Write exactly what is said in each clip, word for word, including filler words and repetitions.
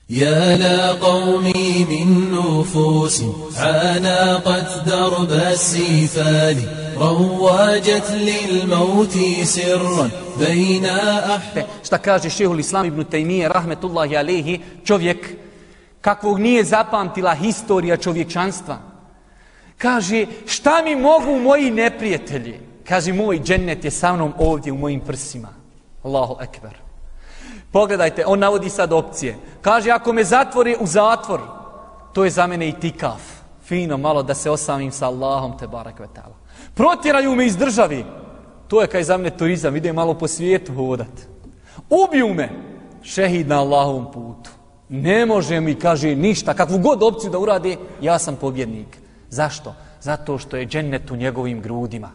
يا لا قومي من نفوس عانقت درب السفال رواجت للموت سرا بين أحرار. Šta kaže šehul Islam ibn Tejmije rahmetullahi alejhi, čovjek kakvog nije zapamtila historija čovječanstva. Kaže, šta mi mogu moji neprijatelji? Kaže, moj džennet je sa mnom ovdje u mojim prsima. Allahu ekber. Pogledajte, on navodi sad opcije. Kaže, ako me zatvori u zatvor, to je za mene i tikaf. Fino, malo da se osamim sa Allahom, te barak ve ta'ala. Protjeraju me iz državi. To je kaj za mene turizam, ide malo po svijetu hodat. Ubiju me, šehid na Allahovom putu. Ne može mi, kaže, ništa, kakvu god opciju da uradi, ja sam pobjednik. Zašto? Zato što je džennet u njegovim grudima.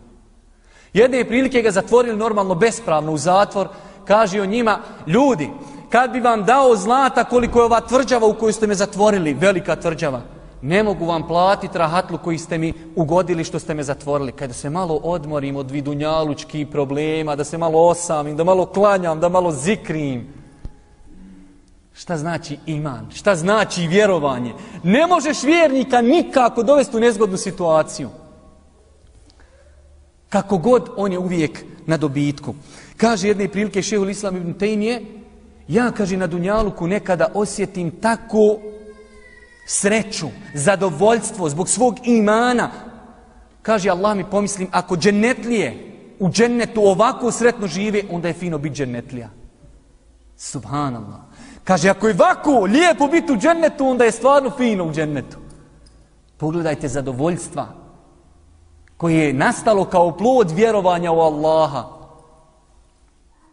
Jedne prilike ga zatvorili normalno bespravno u zatvor, kaže o njima, ljudi, kad bi vam dao zlata koliko je ova tvrđava u koju ste me zatvorili, velika tvrđava, ne mogu vam platiti rahatlu koji ste mi ugodili što ste me zatvorili. Kada se malo odmorim od vidunjalučkih problema, da se malo osamim, da malo klanjam, da malo zikrim. Šta znači iman? Šta znači vjerovanje? Ne možeš vjernika nikako dovesti u nezgodnu situaciju. Kako god, on je uvijek na dobitku. Kaže jedne prilike šehul Islam ibn Tejmije, ja, kaže, na dunjaluku nekada osjetim tako sreću, zadovoljstvo zbog svog imana. Kaže, Allah mi pomislim, ako džennetlije u džennetu ovako sretno žive, onda je fino biti džennetlija. Subhanallah. Kaže, ako je ovako lijepo biti u džennetu, onda je stvarno fino u džennetu. Pogledajte zadovoljstva koje je nastalo kao plod vjerovanja u Allaha.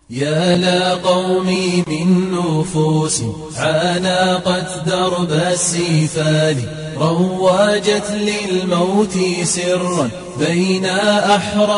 يا لا قومي من نفوس عانقت درب السفال رواجت للموت سرا بين أحرار